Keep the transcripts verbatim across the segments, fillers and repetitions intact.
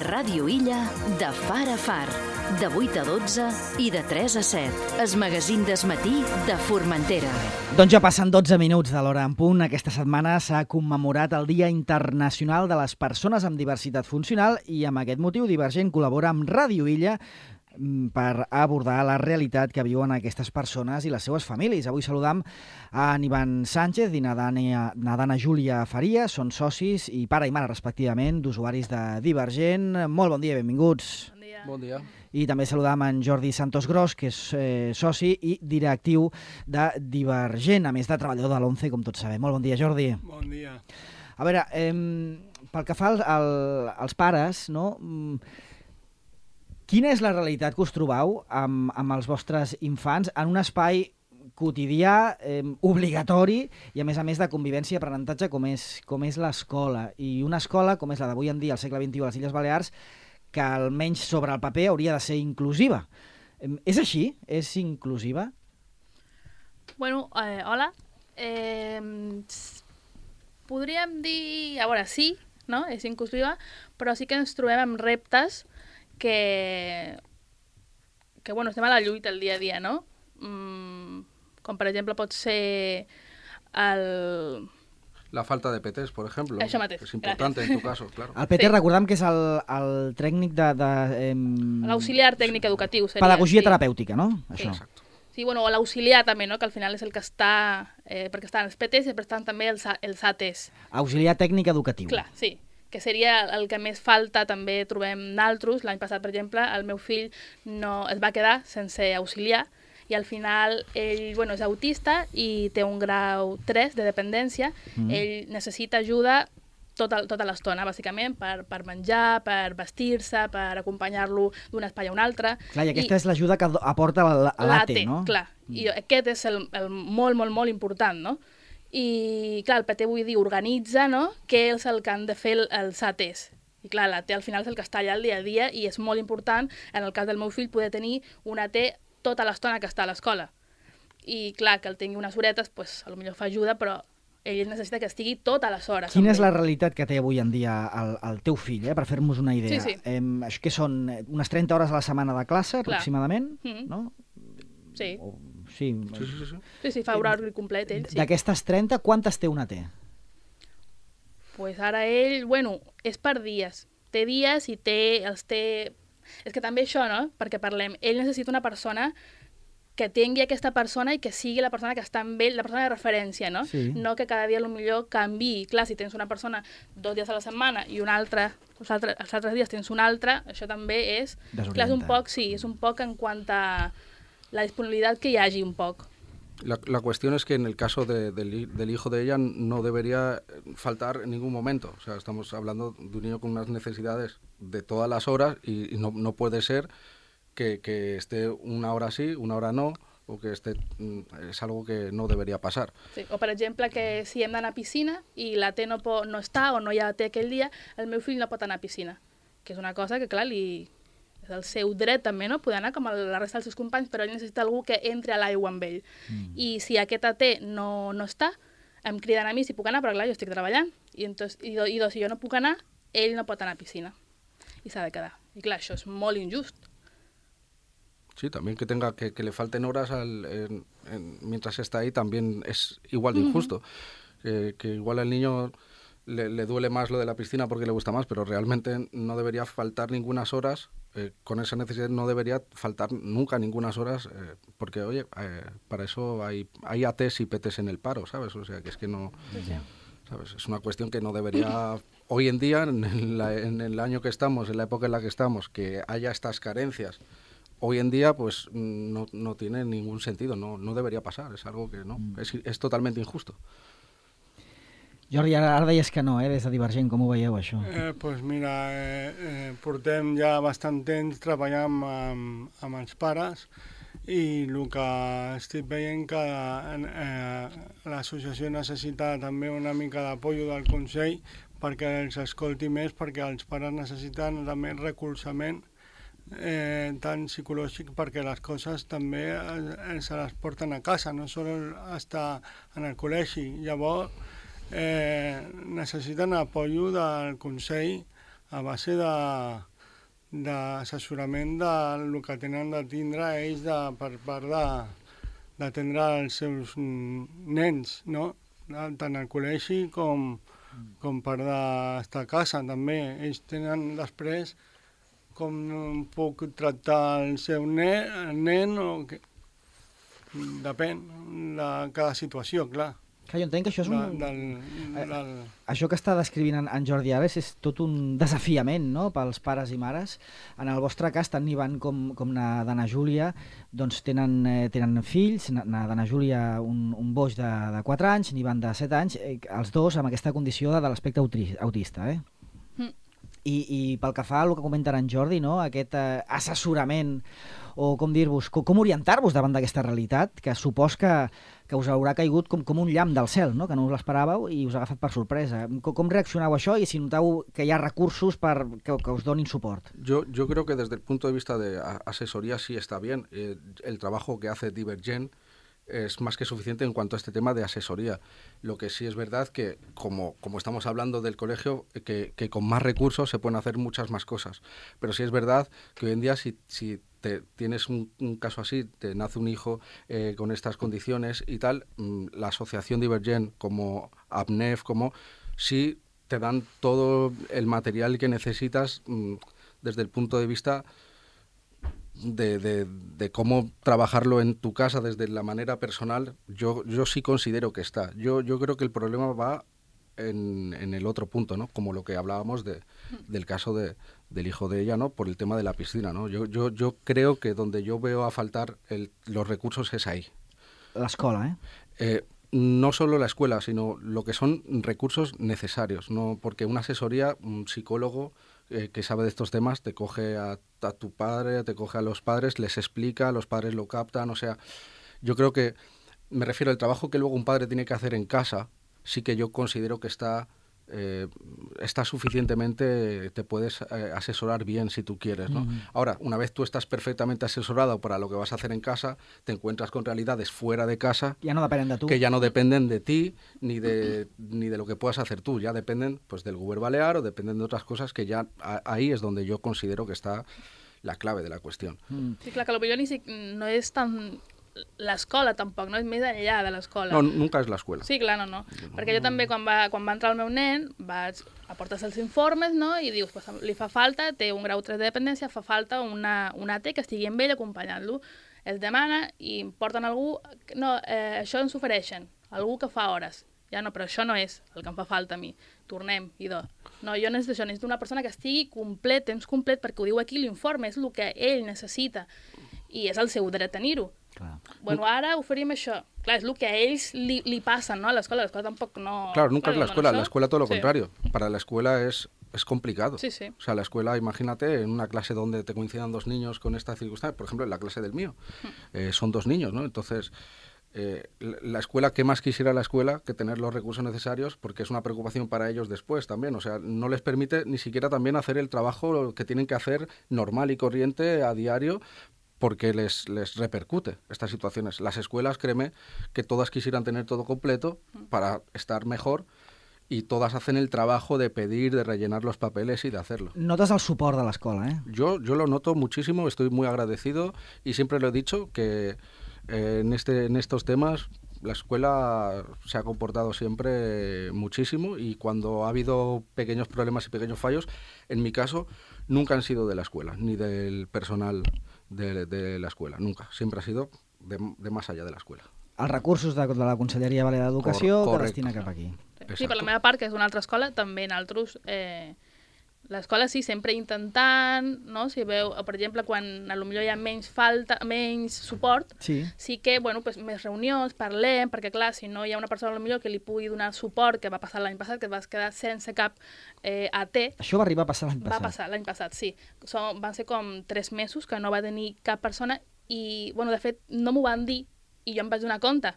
Ràdio Illa, de far a far, de vuit a dotze i de tres a set. Es magazín d'esmatí de Formentera. Doncs ja passen dotze minuts de l'hora en punt. Aquesta setmana s'ha commemorat el Dia Internacional de les Persones amb Diversitat Funcional i amb aquest motiu Divergent col·labora amb Ràdio Illa per abordar la realitat que viuen aquestes persones i les seues famílies. Avui saludam a Ivan Sánchez i Nadana, Nadana Júlia Faria, són socis i pare i mare respectivament d'usuaris de Divergent. Molt bon dia, benvinguts. Bon dia. Bon dia. I també saludam en Jordi Santos Gros, que és eh, soci i directiu de Divergent, a més de treballador de l'ONCE, com tots sabem. Molt bon dia, Jordi. Bon dia. A veure, eh, pel que fa al, al, als pares, no? Quina és la realitat que us trobeu amb, amb els vostres infants en un espai quotidià, eh, obligatori i a més a més de convivència i aprenentatge com és, com és l'escola? I una escola com és la d'avui en dia, al segle vint-i-u a les Illes Balears, que almenys sobre el paper hauria de ser inclusiva. Eh, és així? És inclusiva? Bueno, eh, hola. Eh, podríem dir... A veure, sí, no? És inclusiva, però sí que ens trobem amb reptes que, que bueno, estem a la lluita el dia a dia, no? Mm, com per exemple pot ser el... La falta de P Ts, por ejemplo. Això mateix. Es importante Gràcies. en tu caso, claro. El P T, Sí. recordem que és el, el tècnic de... de eh, L'auxiliar tècnic educatiu seria. pedagogia sí. terapèutica, no? Sí. Això. Exacto. Sí, bueno, o l'auxiliar també, no? Que al final és el que està... Eh, perquè estan els P Ts i després estan també els, els A Ts. Auxiliar tècnic educatiu. Clar, sí, que seria el que més falta, també trobem naltros. L'any passat, per exemple, el meu fill no es va quedar sense auxiliar i al final ell bueno, és autista i té un grau tres de dependència. Mm. Ell necessita ajuda tota, tota l'estona, bàsicament, per, per menjar, per vestir-se, per acompanyar-lo d'un espai a un altre. Clar, i aquesta I, és l'ajuda que aporta l'A T, no? Clar, i aquest és el, el molt, molt, molt important, no? I, clar, el P T, vull dir, organitza, no?, què és el que han de fer els A Ts. I, clar, l'A T al final és el que està allà el dia a dia i és molt important, en el cas del meu fill, poder tenir un A T tota l'estona que està a l'escola. I, clar, que el tingui unes horetes, pues, a lo millor fa ajuda, però ell necessita que estigui totes les hores. Quina és la realitat que té avui en dia el, el teu fill, eh, per fer-nos una idea? Sí, sí. Eh, això que són unes trenta hores a la setmana de classe, Clar. aproximadament, Mm-hmm. no? Sí. O, sí. Sí, sí, sí. Sí, sí, fa horari complet, ell, sí. D'aquestes trenta, quantes té un A T? Pues ara ell, bueno, és per dies. Té dies i té, els té... És que també això, no?, perquè parlem, ell necessita una persona que tingui aquesta persona i que sigui la persona que està amb ell, la persona de referència, no? Sí. No que cada dia potser canviï. Clar, si tens una persona dos dies a la setmana i una altra, els altres, els altres dies tens una altra, això també és... Desorienta. Clar, és un poc, sí, és un poc en quant a la disponibilitat que hi hagi un poc. La, la cuestión es que en el caso de, del, del hijo de ella no debería faltar en ningún momento. O sea, estamos hablando de un niño con unas necesidades de todas las horas y, y no, no puede ser que, que esté una hora sí, una hora no, o que esté... Es algo que no debería pasar. Sí. O, per exemple, que si hem d'anar a piscina i la T no, po, no està o no hi ha T aquell dia, el meu fill no pot anar a piscina. Que és una cosa que, clar, li... és el seu dret també, no?, poder anar com la resta dels seus companys, però ell necessita algú que entri a l'aigua amb ell. Mm. I si aquest A T no, no està, em criden a mi si puc anar, però clar, jo estic treballant. I, entonces, i, do, i do, si jo no puc anar, ell no pot anar a piscina. I s'ha de quedar. I clar, això és molt injust. Sí, también que tenga que, que le falten horas al, en, en, mientras está ahí también es igual de injusto. Mm-hmm. que, que igual al niño le, le duele más lo de la piscina porque le gusta más, pero realmente no debería faltar ningunas horas, eh, con esa necesidad no debería faltar nunca ningunas horas, eh, porque oye, eh, para eso hay, hay A Ts y P Ts en el paro, ¿sabes? O sea, que es que no... Sí. ¿Sabes? Es una cuestión que no debería, hoy en día, en, la, en el año que estamos, en la época en la que estamos, que haya estas carencias. Hoy en día, pues, no, no tiene ningún sentido, no, no debería pasar, es algo que no, es, es totalment injusto. Jordi, ara, ara deies que no, eh, des de Divergent, com ho veieu, això? Eh, pues mira, eh, eh, portem ja bastant temps treballant amb, amb els pares i el que estic veient que eh, l'associació necessita també una mica d'apollo del Consell perquè els escolti més, perquè els pares necessiten també recolzament eh, tant psicològic perquè les coses també eh, se les porten a casa, no sol estar en el col·legi. Llavors, eh, necessiten apoyo del Consell a base de d'assessorament del que tenen de tindre ells de, per part de d'atendre els seus nens, no? Tant al col·legi com, com per d'estar a casa també. Ells tenen després com puc tractar el seu nen, el nen o que... depèn de cada situació, clar. Clar, jo entenc que això és un... Del, del, del... Això que està descrivint en, en Jordi Ares és tot un desafiament, no?, pels pares i mares. En el vostre cas, tant Ivan com, com na d'Anna Júlia, doncs tenen, eh, tenen fills, na, na d'Anna Júlia un, un boix de, de quatre anys, n'Ivan de set anys, eh, els dos amb aquesta condició de, de l'aspecte autista, eh? Mm. I, I pel que fa al que comenta en Jordi, no?, aquest eh, assessorament, o com dir-vos, com, com orientar-vos davant d'aquesta realitat, que supos que, que us haurà caigut com, com un llamp del cel, no?, que no us l'esperàveu i us ha agafat per sorpresa. Com, com reaccioneu a això i si noteu que hi ha recursos per, que, que us donin suport? Yo, yo creo que desde el punto de vista de asesoría sí está bien. Eh, el trabajo que hace Divergent es más que suficiente en cuanto a este tema de asesoría. Lo que sí es verdad que, como, como estamos hablando del colegio, que, que con más recursos se pueden hacer muchas más cosas. Pero sí es verdad que hoy en día, si, si te, tienes un, un caso así, te nace un hijo eh, con estas condiciones y tal, mmm, la asociación Divergent, como ABNEF, como sí te dan todo el material que necesitas mmm, desde el punto de vista De, de, de cómo trabajarlo en tu casa desde la manera personal. Yo, yo sí considero que está. Yo, yo creo que el problema va en, en el otro punto, ¿no? Como lo que hablábamos de, del caso de, del hijo de ella, ¿no?, por el tema de la piscina, ¿no? Yo, yo, yo creo que donde yo veo a faltar el, los recursos es ahí. La escuela, ¿eh? Eh, no solo la escuela, sino lo que son recursos necesarios, ¿no? Porque una asesoría, un psicólogo eh, que sabe de estos temas, te coge a, a tu padre, te coge a los padres, les explica, los padres lo captan, o sea, yo creo que, me refiero al trabajo que luego un padre tiene que hacer en casa, sí que yo considero que está, eh, está suficientemente, te puedes eh, asesorar bien si tú quieres, ¿no? Uh-huh. Ahora, una vez tú estás perfectamente asesorado para lo que vas a hacer en casa, te encuentras con realidades fuera de casa ya no dependen de tú. que ya no dependen de ti ni de, ni de lo que puedas hacer tú, ya dependen pues del Govern Balear o dependen de otras cosas que ya a, ahí es donde yo considero que está la clave de la qüestió. Mm. Sí, clar, que potser ni si, no és tan l'escola tampoc, no és més enllà de l'escola. No, nunca és l'escola. Sí, clar, no, no. no. Perquè jo també, quan va, quan va entrar el meu nen, vaig aportar els informes, no?, i dius, pues, li fa falta, té un grau tres de dependència, fa falta una, una A T que estigui amb ell acompanyant-lo. Es demana i porten algú... No, eh, això ens ofereixen, algú que fa hores. Ja no, però això no és el que em fa falta a mi. Tornem, idò. No, jo necessito això, necessito una persona que estigui complet, temps complet, perquè ho diu aquí l'informe, és el que ell necessita. I és el seu dret tenir-ho. Clar. Bueno, ara oferim això. Clar, és el que a ells li, li passen, ¿no?, a l'escola. L'escola tampoc no... Claro, nunca claro, es la escuela. No, la escuela todo lo sí. contrario. Para la escuela es, es complicado. Sí, sí. O sea, la escuela, imagínate, en una clase donde te coincidan dos niños con esta circunstancia, por ejemplo, en la clase del mío, eh, son dos niños, ¿no? Entonces... Eh, la escuela, ¿qué más quisiera la escuela que tener los recursos necesarios? Porque es una preocupación para ellos después también, o sea, no les permite ni siquiera también hacer el trabajo que tienen que hacer normal y corriente a diario, porque les, les repercute estas situaciones. Las escuelas, créeme, que todas quisieran tener todo completo para estar mejor, y todas hacen el trabajo de pedir, de rellenar los papeles y de hacerlo. Notes el suport de l'escola, eh? Yo, yo lo noto muchísimo, estoy muy agradecido, y siempre lo he dicho que Eh, en, este, en estos temas la escuela se ha comportado siempre muchísimo, y cuando ha habido pequeños problemas y pequeños fallos, en mi caso, nunca han sido de la escuela, ni del personal de, de la escuela, nunca. Siempre ha sido de, de más allá de la escuela. Els recursos de, de la Conselleria Balear d'Educació que destina cap aquí. Sí, sí, per la meva part, que és una altra escola, també en altres... Eh... L'escola sí, sempre intentant, no? Si veu, per exemple, quan potser hi ha menys falta, menys suport, sí, sí que, bueno, pues, més reunions, parlem, perquè clar, si no hi ha una persona potser que li pugui donar suport, que va passar l'any passat, que vas quedar sense cap eh, A T. Això va arribar a passar l'any passat. Va passar l'any passat, sí. Som, van ser com tres mesos que no va tenir cap persona i, bueno, de fet, no m'ho van dir i jo em vaig donar compte,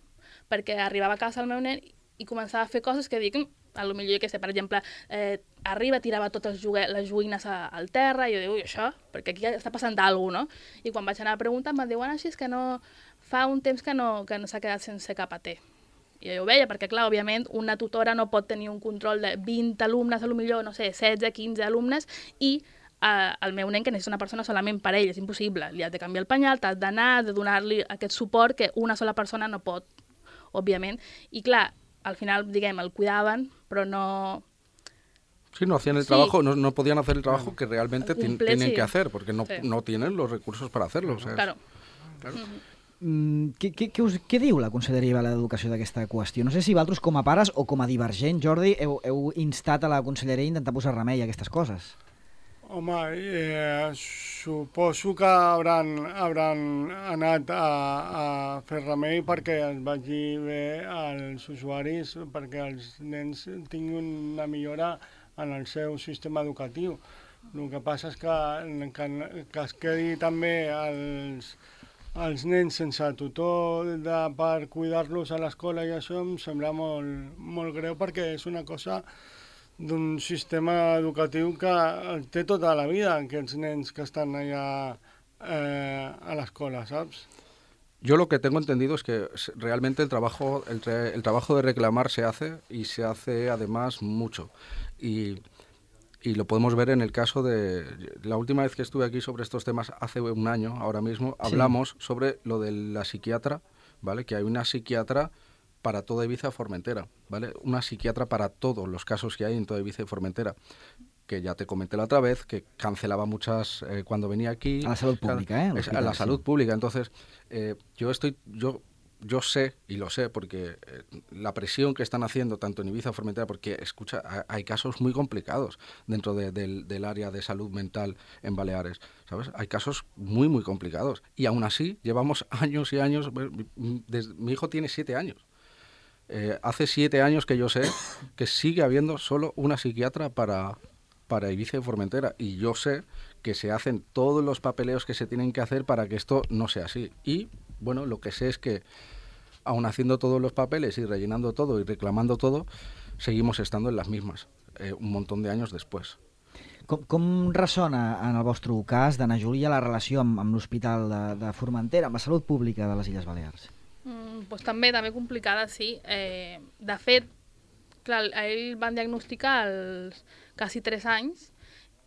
perquè arribava a casa el meu nen i començava a fer coses que dic... A lo millor, que sé, per exemple, eh, arriba, tirava totes les joguines a, al terra, i jo dic, ui, això, perquè aquí està passant alguna cosa, no? I quan vaig anar a preguntar, em van dir, bueno, així és que no... Fa un temps que no, que no s'ha quedat sense cap A T. I jo ho veia, perquè, clar, òbviament, una tutora no pot tenir un control de vint alumnes, a lo millor, no sé, setze, quinze alumnes, i eh, el meu nen, que necessita una persona solament per ell, és impossible. Li has de canviar el penyal, t'has d'anar, de donar-li aquest suport que una sola persona no pot, òbviament. I, clar, al final, diguem, el cuidaven, però no... Sí, no hacían el sí. trabajo, no, no podían hacer el trabajo que realmente Cumple, tienen sí. que hacer, porque no, Sí. no tienen los recursos para hacerlo. O sea, Claro. claro. Mm, què, què, què, us, què diu la Conselleria de l'Educació d'aquesta qüestió? No sé si vosaltres com a pares o com a divergent, Jordi, heu, heu instat a la Conselleria a intentar posar remei a aquestes coses. Home, eh, suposo que hauran, hauran anat a, a fer remei perquè es vagi bé als usuaris, perquè els nens tinguin una millora en el seu sistema educatiu. El que passa és que, que, que es quedi també els, els nens sense tutor de, per cuidar-los a l'escola i això em sembla molt, molt greu perquè és una cosa d'un sistema educatiu que té tota la vida, aquests nens que estan allà eh, a l'escola, saps? Yo lo que tengo entendido es que realmente el trabajo, el, el trabajo de reclamar se hace y se hace además mucho. Y, y lo podemos ver en el caso de... La última vez que estuve aquí sobre estos temas, hace un año, ahora mismo, sí. hablamos sobre lo de la psiquiatra, ¿vale? Que hay una psiquiatra para toda Ibiza y Formentera, ¿vale? Una psiquiatra para todos los casos que hay en toda Ibiza y Formentera. Que ya te comenté la otra vez, que cancelaba muchas eh, cuando venía aquí. A la salud pública, ¿eh? Es, a la salud pública. Entonces, eh, yo estoy, yo, yo sé, y lo sé, porque eh, la presión que están haciendo tanto en Ibiza, Formentera, porque, escucha, hay casos muy complicados dentro de, del, del área de salud mental en Baleares, ¿sabes? Hay casos muy, muy complicados. Y aún así, llevamos años y años, desde, mi hijo tiene siete años. Eh, hace siete años que yo sé que sigue habiendo solo una psiquiatra para... para Ibiza y Formentera, y yo sé que se hacen todos los papeleos que se tienen que hacer para que esto no sea así. Y, bueno, lo que sé es que, aun haciendo todos los papeles y rellenando todo y reclamando todo, seguimos estando en las mismas, eh, un montón de años después. Com, com ressona en el vostre cas, d'Anna Júlia, la relació amb, amb l'Hospital de, de Formentera, amb la salut pública de les Illes Balears? Mm, pues també, també complicada, sí. Eh, de fet, clar, a ell van diagnosticar als quasi tres anys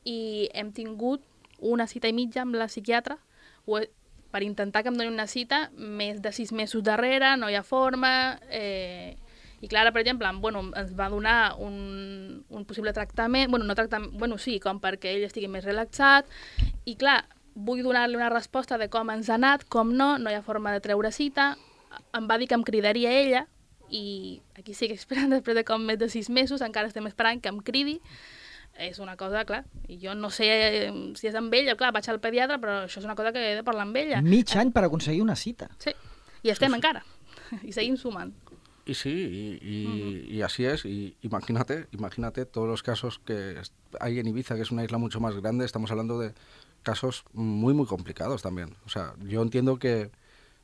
i hem tingut una cita i mitja amb la psiquiatra per intentar que em doni una cita més de sis mesos darrere, no hi ha forma, eh, i Clara, per exemple, bueno, ens va donar un, un possible tractament, bueno, no tractament, bueno, sí, com perquè ell estigui més relaxat, i clar, vull donar-li una resposta de com ens ha anat, com no, no hi ha forma de treure cita, em va dir que em cridaria ella, i aquí estic esperant després de com més de sis mesos, encara estem esperant que em cridi. És una cosa, clar, i jo no sé si és amb ella, clar, vaig al pediatre, però això és una cosa que he de parlar amb ella. Mig any per aconseguir una cita. Sí, i estem sí, sí. encara, i seguim sumant. Y sí, y, y, uh-huh. y así es, y imagínate, imagínate todos los casos que hay en Ibiza, que es una isla mucho más grande, estamos hablando de casos muy, muy complicados también. O sea, yo entiendo que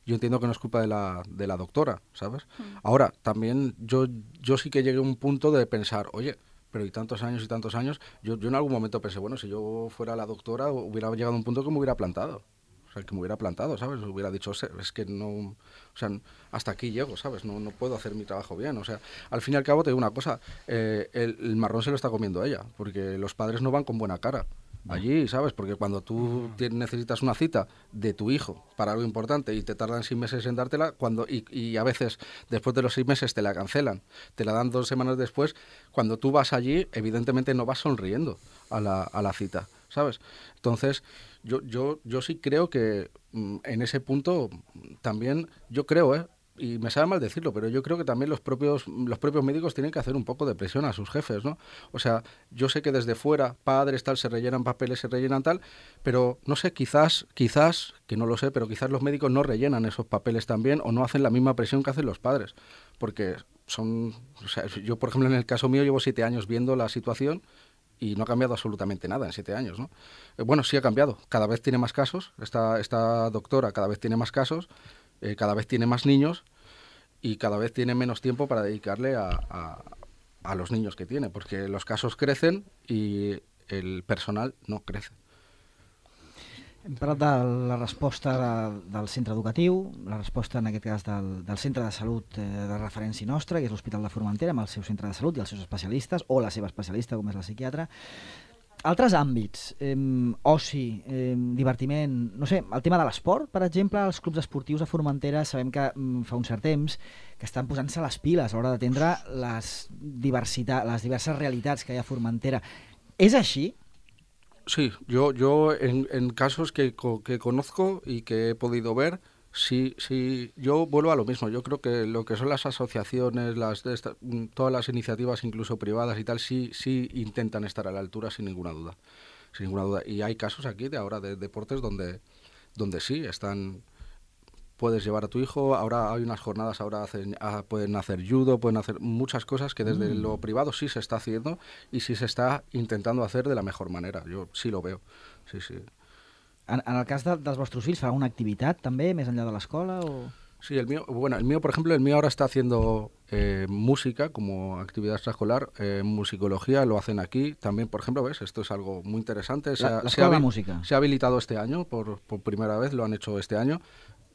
Yo entiendo que no es culpa de la, de la doctora, ¿sabes? Mm. Ahora, también yo, yo sí que llegué a un punto de pensar, oye, pero y tantos años y tantos años, yo, yo en algún momento pensé, bueno, si yo fuera la doctora, hubiera llegado a un punto que me hubiera plantado. O sea, que me hubiera plantado, ¿sabes? Hubiera dicho, es que no, o sea, hasta aquí llego, ¿sabes? No, no puedo hacer mi trabajo bien. O sea, al fin y al cabo te digo una cosa, eh, el, el marrón se lo está comiendo ella, porque los padres no van con buena cara allí, ¿sabes? Porque cuando tú necesitas una cita de tu hijo para algo importante y te tardan seis meses en dártela, cuando y, y a veces después de los seis meses te la cancelan, te la dan dos semanas después, cuando tú vas allí, evidentemente no vas sonriendo a la, a la cita, ¿sabes? Entonces, yo, yo, yo sí creo que mm, en ese punto también, yo creo, ¿eh? Y me sabe mal decirlo, pero yo creo que también los propios los propios médicos tienen que hacer un poco de presión a sus jefes, ¿no? O sea, yo sé que desde fuera, padres, tal, se rellenan papeles, se rellenan tal, pero no sé, quizás, quizás, que no lo sé, pero quizás los médicos no rellenan esos papeles también o no hacen la misma presión que hacen los padres, porque son, o sea, yo por ejemplo en el caso mío llevo siete años viendo la situación y no ha cambiado absolutamente nada en siete años, ¿no? Eh, bueno, sí ha cambiado, cada vez tiene más casos, esta, esta doctora cada vez tiene más casos, Eh, cada vez tiene más niños y cada vez tiene menos tiempo para dedicarle a, a, a los niños que tiene, porque los casos crecen y el personal no crece. Hem parlat de la resposta de, del centre educatiu, la resposta en aquest cas del, del centre de salut eh, de referència nostra, que és l'Hospital de Formentera, amb el seu centre de salut i els seus especialistes, o la seva especialista, com és la psiquiatra. Altres àmbits, eh, oci, eh, divertiment, no sé, el tema de l'esport, per exemple, els clubs esportius a Formentera sabem que mm, fa un cert temps que estan posant-se les piles a l'hora d'atendre les, diversitat, les diverses realitats que hi ha a Formentera. És així? Sí, yo, yo en, en casos que, que conozco y que he podido ver, sí, sí, yo vuelvo a lo mismo. Yo creo que lo que son las asociaciones, las de esta, todas las iniciativas, incluso privadas y tal, sí, sí intentan estar a la altura sin ninguna duda, sin ninguna duda. Y hay casos aquí de ahora de deportes donde, donde sí están. Puedes llevar a tu hijo, ahora hay unas jornadas, ahora hacen, ah, pueden hacer judo, pueden hacer muchas cosas que desde mm. lo privado sí se está haciendo y sí se está intentando hacer de la mejor manera. Yo sí lo veo, sí, sí. En, en el cas de, dels vostres fills, farà una activitat també, més enllà de l'escola? O... Sí, el mío, bueno, el mío, por ejemplo, el mío ahora está haciendo eh, música como actividad extraescolar, eh, musicología, lo hacen aquí. También, por ejemplo, ¿ves? Esto es algo muy interesante. Se la, ha, la se ha, de música. Se ha habilitado este año, por, por primera vez, lo han hecho este año.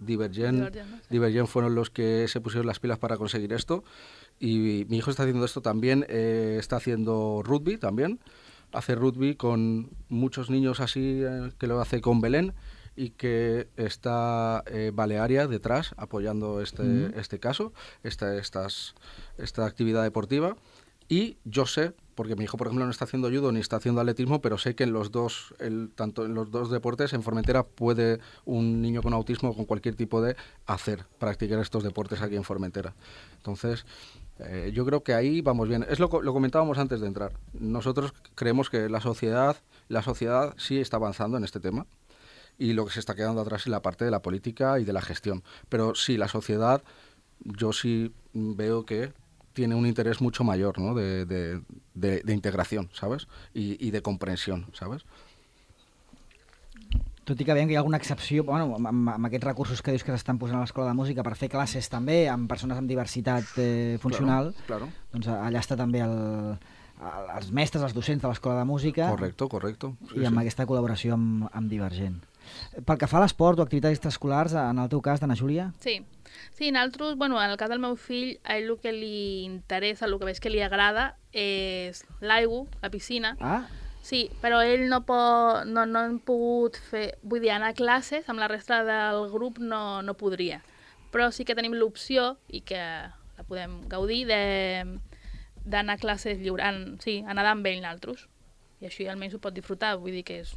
Divergent, Divergent, ¿no? Sí. Divergent fueron los que se pusieron las pilas para conseguir esto y mi hijo está haciendo esto también, eh, está haciendo rugby también, hace rugby con muchos niños así, eh, que lo hace con Belén y que está eh, Balearia detrás apoyando este, mm. este caso, esta, estas, esta actividad deportiva. Y yo sé, porque mi hijo, por ejemplo, no está haciendo judo ni está haciendo atletismo, pero sé que en los dos, el, tanto en los dos deportes, en Formentera puede un niño con autismo o con cualquier tipo de hacer, practicar estos deportes aquí en Formentera. Entonces, eh, yo creo que ahí vamos bien. Es lo, lo comentábamos antes de entrar. Nosotros creemos que la sociedad, la sociedad sí está avanzando en este tema y lo que se está quedando atrás es la parte de la política y de la gestión. Pero sí, la sociedad, yo sí veo que tiene un interés mucho mayor, ¿no? de, de, de, de integración, ¿sabes? Y, y de comprensión, ¿sabes? Tot i que veiem que hi ha alguna excepció, bueno, amb, amb aquests recursos que dius que s'estan posant a l'Escola de Música per fer classes també amb persones amb diversitat eh, funcional, claro, claro. Doncs allà està també el, els mestres, els docents de l'Escola de Música. Correcto, correcto. Sí, i amb sí. aquesta col·laboració amb, amb Divergent. Pel que fa a l'esport o activitats extraescolars, en el teu cas, d'Anna Júlia? Sí. Sí, nosaltres, bueno, en el cas del meu fill, a ell el que li interessa, el que veig que li agrada, és l'aigua, la piscina. Ah. Sí, però ell no, pot, no, no hem pogut fer... Vull dir, anar a classes, amb la resta del grup no, no podria. Però sí que tenim l'opció, i que la podem gaudir, d'anar a classes lliure, en, sí, a nedar amb ell nosaltres. I així almenys ho pot disfrutar, vull dir que és...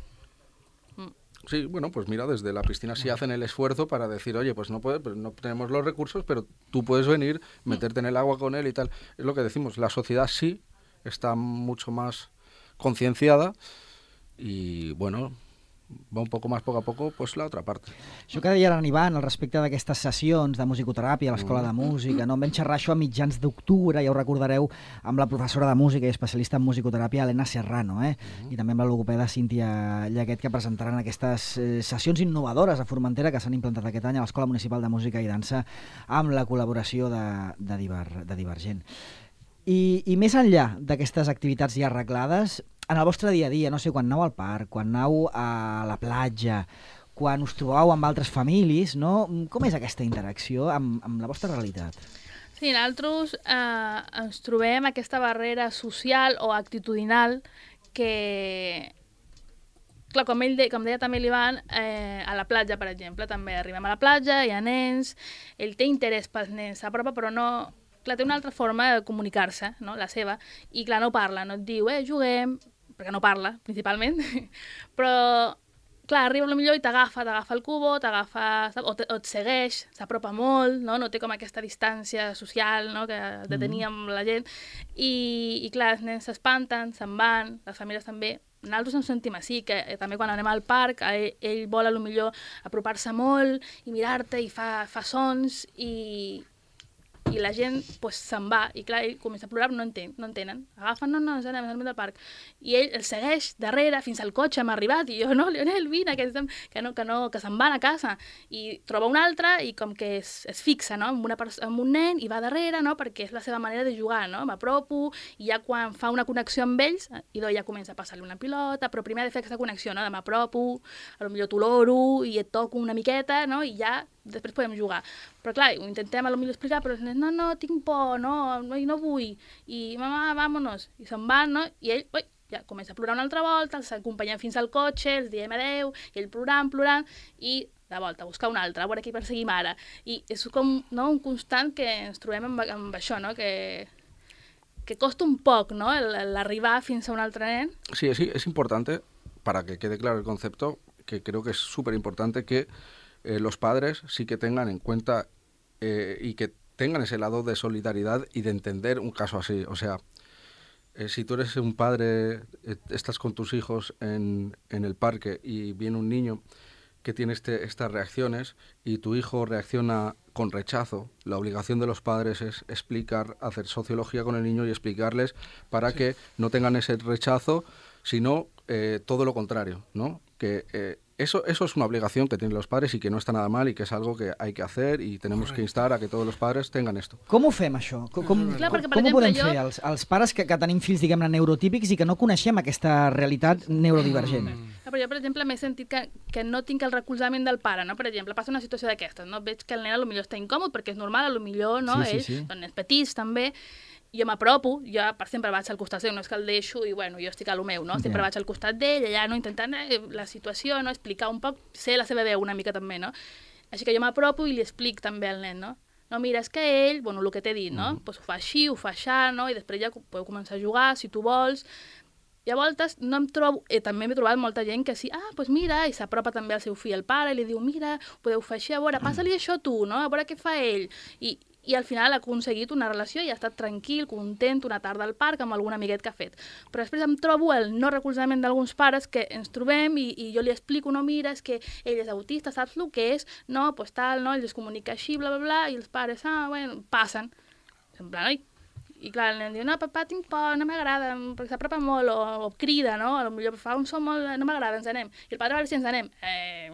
Sí, bueno, pues mira, desde la piscina sí hacen el esfuerzo para decir, oye, pues no puede, pues no tenemos los recursos, pero tú puedes venir, meterte en el agua con él y tal. Es lo que decimos, la sociedad sí está mucho más concienciada y, bueno, va un poco más poco a poco, pues la otra parte. Això que deia l'Ivan al respecte d'aquestes sessions de musicoteràpia a l'Escola de Música, no? Em vam xerrar això a mitjans d'octubre, ja ho recordareu, amb la professora de música i especialista en musicoteràpia, Helena Serrano, eh? I també amb la logopeda Cíntia Llaguet, que presentaran aquestes eh, sessions innovadores a Formentera que s'han implantat aquest any a l'Escola Municipal de Música i Dansa amb la col·laboració de, de, Diver, de Divergent. I, I més enllà d'aquestes activitats ja arreglades, en el vostre dia a dia, no sé, quan aneu al parc, quan aneu a la platja, quan us trobeu amb altres famílies, no? Com és aquesta interacció amb, amb la vostra realitat? Sí, nosaltres eh, ens trobem aquesta barrera social o actitudinal que, clar, com, ell de, com deia també l'Ivan, eh, a la platja, per exemple, també arribem a la platja, hi ha nens, ell té interès pels nens, s'apropa, però no... Clar, té una altra forma de comunicar-se, no? La seva, i clar, no parla, no et diu, eh, juguem, perquè no parla, principalment, però, clar, arriba potser i t'agafa, t'agafa el cubo, t'agafa, o, te, o et segueix, s'apropa molt, no? No té com aquesta distància social, no? Que de tenir amb la gent, i, i clar, els nens s'espanten, se'n van, les famílies també. Nosaltres ens sentim així, que eh, també quan anem al parc, ell, ell vol potser apropar-se molt i mirar-te i fa, fa sons, i... i la gent pues, se'n va, i clar, ell comença a plorar, no entén, no entenen. Agafen, no, no, ens anem, ens anem del parc. I ell el segueix darrere fins al cotxe, hem arribat, i jo, no, Lionel, vine, que, que, no, que, no, que se'n van a casa. I troba un altre i com que es, es fixa, no?, amb, una, amb un nen i va darrere, no?, perquè és la seva manera de jugar, no?, m'apropo, i ja quan fa una connexió amb ells, i ja comença a passar-li una pilota, però primer ha de fer aquesta connexió, no?, de m'apropo, potser t'oloro i et toco una miqueta, no?, i ja després podem jugar. Però clar, ho intentem potser explicar, però no, no, tinc por, no, no, no vull, i mamà, vámonos, i se'n van, no?, i ell, ui, ja comença a plorar una altra volta, els acompanyem fins al cotxe, els diem adeu, i ell plorant, plorant, i de volta, a buscar un altre, a veure qui perseguim ara. I és com no, un constant que ens trobem amb, amb això, no?, que, que costa un poc, ¿no?, l'arribar fins a un altre nen. Sí, es, es importante, para que quede claro el concepto, que creo que es súper importante que eh, los padres sí que tengan en cuenta eh, y que tengan ese lado de solidaridad y de entender un caso así. O sea, eh, si tú eres un padre, eh, estás con tus hijos en, en el parque y viene un niño que tiene este, estas reacciones y tu hijo reacciona con rechazo, la obligación de los padres es explicar, hacer sociología con el niño y explicarles para sí. que no tengan ese rechazo, sino eh, todo lo contrario, ¿no? Que eh, eso, eso es una obligación que tienen los padres y que no está nada mal y que és algo que hay que hacer y tenemos Correcte. que instar a que tots els pares tengan esto. Com ho fem, això? Com, com, Clar, perquè, com exemple, ho podem jo... fer els, els pares que, que tenim fills, diguem-ne, neurotípics i que no coneixem aquesta realitat neurodivergent? Mm. Però jo, per exemple, m'he sentit que, que no tinc el recolzament del pare, no? Per exemple, passa una situació d'aquestes, no? Veig que el nen potser està incòmode perquè és normal, potser, no? Sí, sí, Ells, sí. són nens petits, també. Jo m'apropo, jo per sempre vaig al costat seu, no és que el deixo i bueno, jo estic a lo meu, no? Sempre yeah. vaig al costat d'ell, allà no, intentant eh, la situació, no? Explicar un poc, sé la seva veu una mica també, no? Així que jo m'apropo i li explic també al nen, no? No, mira, és que ell, bueno, el que t'he dit, no? Mm. Pues ho fa així, ho fa així, no? I després ja podeu començar a jugar, si tu vols. I a voltes no em trobo, eh, també m'he trobat molta gent que sí, ah, doncs pues mira, i s'apropa també al seu fill, al pare, i li diu, mira, podeu fer així, a veure, passa-li això tu, no? A veure què fa ell. I, i al final ha aconseguit una relació i ha estat tranquil, content, una tarda al parc amb algun amiguet que ha fet. Però després em trobo el no recolzament d'alguns pares que ens trobem i, i jo li explico, no, mira, és que ell és autista, saps el que és? No, doncs pues tal, no, ell es comunica així, bla, bla, bla, i els pares, ah, bueno, passen. En plan, oi? I clar, el nen diu, no, papà, tinc por, no m'agrada, perquè s'apropa molt, o, o crida, no? Potser fa un so molt, no m'agrada, ens anem. I el pare va dir si ens anem. Eh...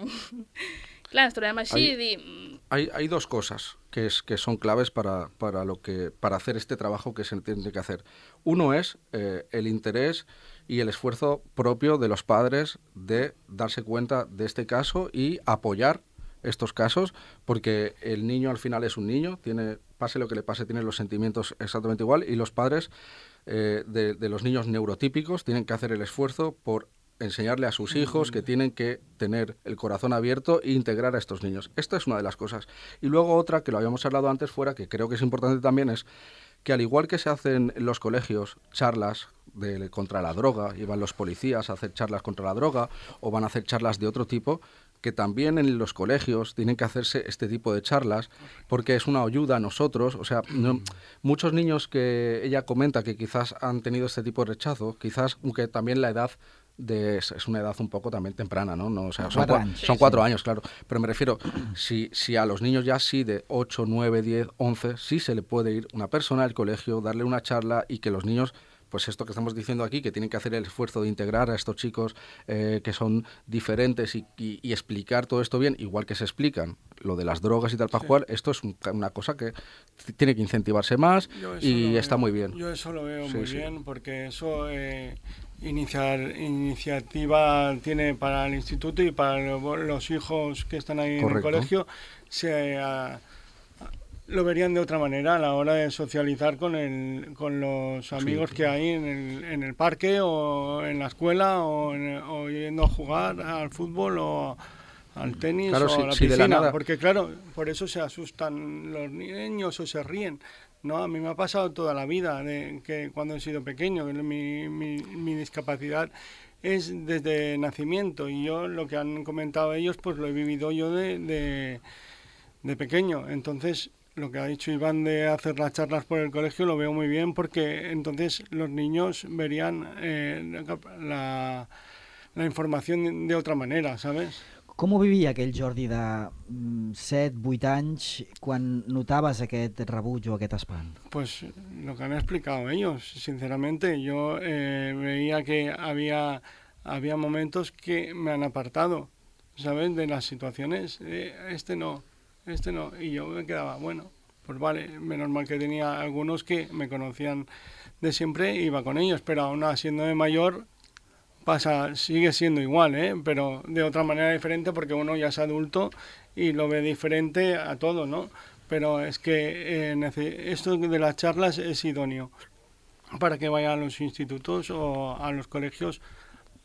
Claro, nos trobem així hay, y di... hay, hay dos cosas que, es, que son claves para, para, lo que, para hacer este trabajo que se tiene que hacer. Uno es eh, el interés y el esfuerzo propio de los padres de darse cuenta de este caso y apoyar estos casos, porque el niño al final es un niño, tiene, pase lo que le pase, tiene los sentimientos exactamente igual, y los padres eh, de, de los niños neurotípicos tienen que hacer el esfuerzo por enseñarle a sus hijos que tienen que tener el corazón abierto e integrar a estos niños. Esta es una de las cosas. Y luego otra, que lo habíamos hablado antes fuera, que creo que es importante también, es que al igual que se hacen en los colegios charlas de, contra la droga, y van los policías a hacer charlas contra la droga, o van a hacer charlas de otro tipo, que también en los colegios tienen que hacerse este tipo de charlas, porque es una ayuda a nosotros. O sea, no, muchos niños que ella comenta que quizás han tenido este tipo de rechazo, quizás, aunque también la edad de, es una edad un poco también temprana, ¿no? no o sea, son, cua, son cuatro años, claro. Pero me refiero, si, si a los niños ya sí de ocho, nueve, diez, once, sí se le puede ir una persona al colegio, darle una charla y que los niños, pues esto que estamos diciendo aquí, que tienen que hacer el esfuerzo de integrar a estos chicos eh, que son diferentes y, y, y explicar todo esto bien, igual que se explican lo de las drogas y tal para sí. jugar, esto es un, una cosa que tiene que incentivarse más y está veo, muy bien. Yo eso lo veo sí, muy sí. bien, porque eso eh, iniciar, iniciativa tiene para el instituto y para los hijos que están ahí Correcto. en el colegio, se... Uh, lo verían de otra manera a la hora de socializar con el, con los amigos sí, que hay en el, en el parque o en la escuela o, en, o yendo a jugar al fútbol o al tenis claro, o si, a la si piscina, nada... porque claro, por eso se asustan los niños o se ríen. No, a mí me ha pasado toda la vida, de que cuando he sido pequeño, que mi, mi, mi discapacidad es desde nacimiento y yo lo que han comentado ellos, pues lo he vivido yo de, de, de pequeño. Entonces, lo que ha dicho Iván de hacer las charlas por el colegio lo veo muy bien, porque entonces los niños verían eh, la, la información de otra manera, ¿sabes? Com ho vivia aquell Jordi de set, vuit anys quan notaves aquest rebuig o aquest espant? Pues lo que han explicado ellos, sinceramente. Yo eh, veía que había, había momentos que me han apartado, ¿sabes? De las situaciones, eh, este no, este no. Y yo me quedaba, bueno, pues vale, menos mal que tenía algunos que me conocían de siempre, iba con ellos, pero aún siendo de mayor, pasa, sigue siendo igual, ¿eh? Pero de otra manera diferente porque uno ya es adulto y lo ve diferente a todo, ¿no? Pero es que eh, esto de las charlas es idóneo para que vayan a los institutos o a los colegios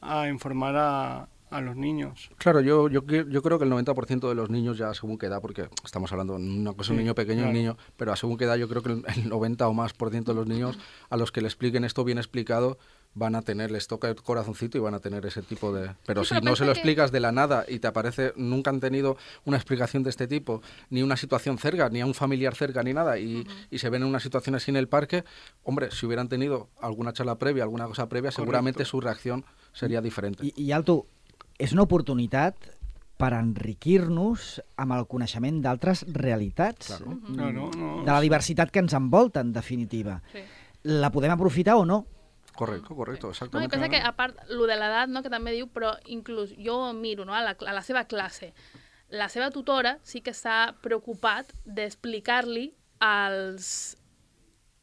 a informar a, a los niños. Claro, yo, yo, yo creo que el noventa por ciento de los niños ya según qué edad, porque estamos hablando de una cosa, sí, un niño pequeño, claro. un niño, pero a según qué edad yo creo que el, el noventa o más por ciento de los niños a los que le expliquen esto bien explicado van a tener, les toca el corazoncito y van a tener ese tipo de... Pero sí, si pero no se lo que... explicas de la nada y te aparece, nunca han tenido una explicación de este tipo, ni una situación cerca, ni a un familiar cerca, ni nada, y, uh-huh. y se ven en una situación así en el parque, hombre, si hubieran tenido alguna charla previa, alguna cosa previa, Correcto. Seguramente su reacción seria diferente. I, i Alto, és una oportunitat per enriquir-nos amb el coneixement d'altres realitats, claro. mm, no, no, no. de la diversitat que ens envolta, en definitiva. Sí. La podem aprofitar o no? Correcto, correcto, exactament. No, i pensa que, a part, lo de l'edat, no, que també diu, però inclús jo miro, no, a la, a la seva classe, la seva tutora sí que s'ha preocupat d'explicar-li als,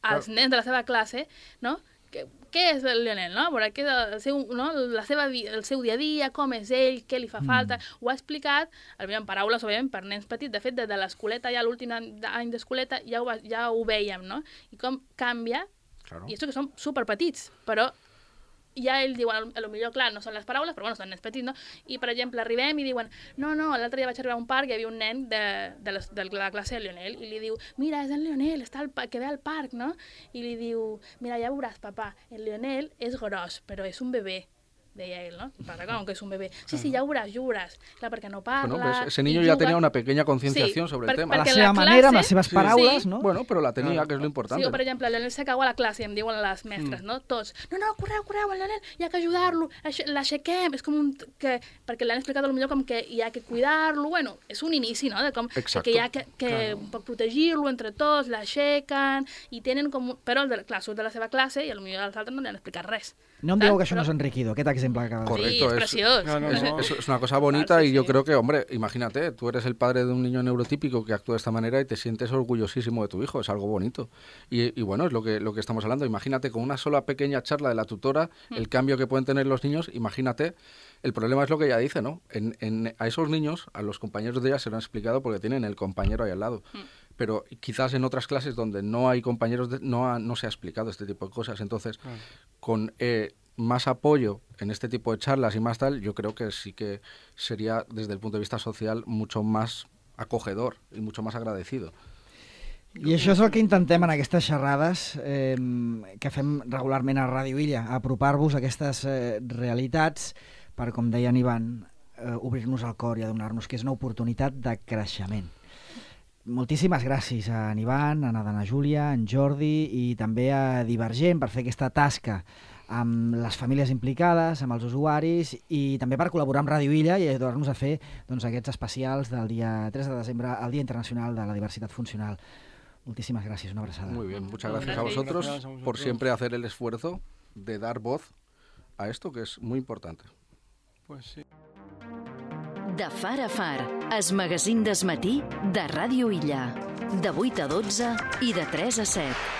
als Clar. nens de la seva classe, no?, que, què és el Lionel, no? Veure, què és el seu, no? la seva, el seu dia a dia, com és ell, què li fa falta. Mm. Ho ha explicat, en paraules, òbviament, per nens petits. De fet, des de l'escoleta, ja l'últim any d'escoleta, ja, ho, ja ho veiem, no? I com canvia. Claro. I això que són superpetits, però ja ells diuen, a lo millor, clar, no són les paraules, però bueno, són nens petits, no? I, per exemple, arribem i diuen, no, no, l'altre dia vaig arribar a un parc i hi havia un nen de, de, les, de la classe de Lionel i li diu, mira, és el Lionel, està al, que ve al parc, no? I li diu, mira, ja veuràs, papà, el Lionel és gros, però és un bebè. Deia él, ¿no? Para claro, que es un bebé. Sí, sí, ya verás, ya verás. Claro, porque no parla... Bueno, pues ese niño ya tenía una pequeña concienciación sí, sobre per, el tema. A la seva manera, amb les seves sí. paraules, sí. no? Bueno, però la tenia, que és lo importante. Sí, o per exemple, el Lionel se cau a la classe i em diuen les mestres, mm. no? Tots, no, no, correu, correu, el Lionel, hi ha que ajudar-lo, l'aixequem, és com un... Que, perquè l'han explicat potser com que hi ha que cuidar-lo, bueno, és un inici, no? De com Exacto. que hi ha que, que claro. protegir-lo entre tots, l'aixequen, i tenen com... Però el de, clar, surt de la seva classe i potser els altres no li han explicat res. No em dieu que això no és enriquidor, aquest exemple que acabas de dir. Sí, es precioso. No, no, no. Es, es una cosa bonita claro, sí, y yo sí. creo que, hombre, imagínate, tú eres el padre de un niño neurotípico que actúa de esta manera y te sientes orgullosísimo de tu hijo, es algo bonito. Y, y bueno, es lo que, lo que estamos hablando. Imagínate con una sola pequeña charla de la tutora, mm. el cambio que pueden tener los niños, imagínate, el problema es lo que ella dice, ¿no? En, en, a esos niños, a los compañeros de ella se lo han explicado porque tienen el compañero ahí al lado. Mm. Pero quizás en otras clases donde no hay compañeros, de, no, ha, no se ha explicado este tipo de cosas. Entonces, mm. con... Eh, más apoyo en este tipo de charlas y más tal, yo creo que sí que sería, desde el punto de vista social, mucho más acogedor y mucho más agradecido. I això és el que intentem en aquestes xerrades eh, que fem regularment a Ràdio Illa, apropar-vos a aquestes eh, realitats per, com deia en Ivan, eh, obrir-nos el cor i adonar-nos que és una oportunitat de creixement. Moltíssimes gràcies a en Ivan, a Nadana Júlia, a en Jordi i també a Divergent per fer aquesta tasca amb les famílies implicades, amb els usuaris i també per col·laborar amb Ràdio Illa i ajudar-nos a fer doncs, aquests especials del dia tres de desembre, el Dia Internacional de la Diversitat Funcional. Muchísimas gracias, una abrazada. Muy bien, muchas gracias a vosotros, gracias a vosotros por siempre hacer el esfuerzo de dar voz a esto que es muy importante. Pues sí. De far a far, es magazín desmatí de Ràdio Illa. De vuit a dotze i de tres a set.